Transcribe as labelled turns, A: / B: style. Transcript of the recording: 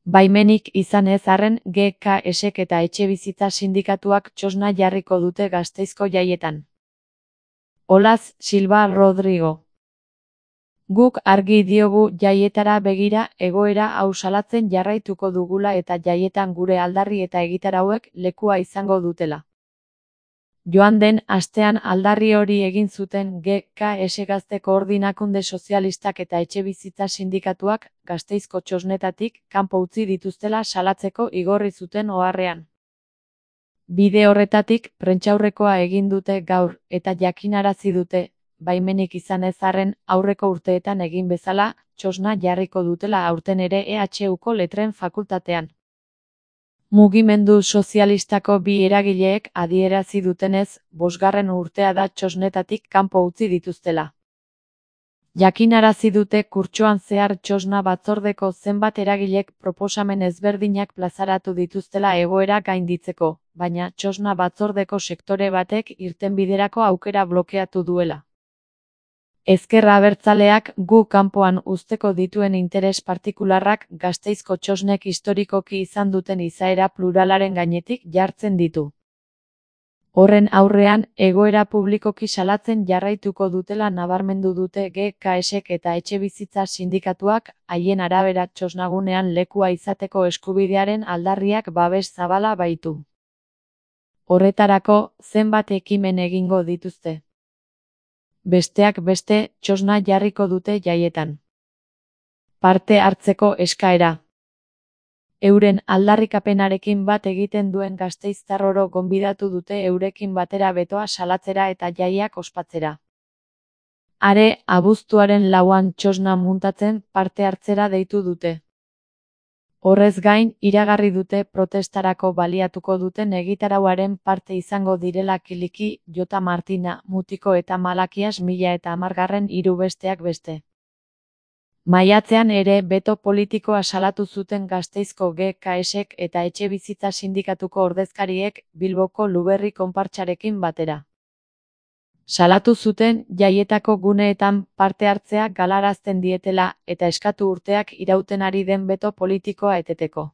A: Baimenik izan ez arren GKSek eta etxebizitza sindikatuak txosna jarriko dute Gasteizko jaietan. Olaz Silva Rodrigo. Guk argi diogu jaietara begira egoera hau salatzen jarraituko dugula eta jaietan gure aldarri eta egitarauek lekua izango dutela. Joan den astean aldarri hori egin zuten GKS Gazte Koordinakunde Sozialistak eta etxebizitza sindikatuak Gasteizko txosnetatik kanpo utzi dituztela salatzeko igorri zuten oharrean. Bide horretatik prentsaurrekoa egin dute gaur eta jakinarazi dute, baimenik izan ez arren aurreko urteetan egin bezala, txosna jarriko dutela aurten ere EHUko Letren Fakultatean. Mugimendu sozialistako bi eragileek adierazi dutenez, 5. urtea da txosnetatik kanpo utzi dituztela. Jakinarazi dute kurtsoan zehar txosna batzordeko zenbat eragilek proposamen ezberdinak plazaratu dituztela egoera gainditzeko, baina txosna batzordeko sektore batek irtenbiderako aukera blokeatu duela. Ezker Abertzaleak gu kanpoan uzteko dituen interes partikularrak Gasteizko txosnek historikoki izan duten izaera pluralaren gainetik jartzen ditu. Horren aurrean, egoera publikoki salatzen jarraituko dutela nabarmendu dute GKSek eta etxebizitza sindikatuak, haien arabera txosnagunean lekua izateko eskubidearen aldarriak babes zabala baitu. Horretarako, zenbat ekimen egingo dituzte. Besteak beste, txosna jarriko dute jaietan. Parte hartzeko eskaera. Euren aldarrikapenarekin bat egiten duen gasteiztar oro gonbidatu dute eurekin batera betoa salatzera eta jaiak ospatzera. Are, abuztuaren 4an txosna muntatzen parte hartzera deitu dute. Horrez gain, iragarri dute protestarako baliatuko duten egitarauaren parte izango direla Kiliki, Jota Martina, Mutiko eta Malakias 1010 besteak beste. Maiatzean ere beto politikoa salatu zuten Gasteizko GKSek eta etxebizitza sindikatuko ordezkariek Bilboko Luberri konpartsarekin batera. Salatu zuten jaietako guneetan parte hartzea galarazten dietela eta eskatu urteak irauten ari den beto politikoa eteteko.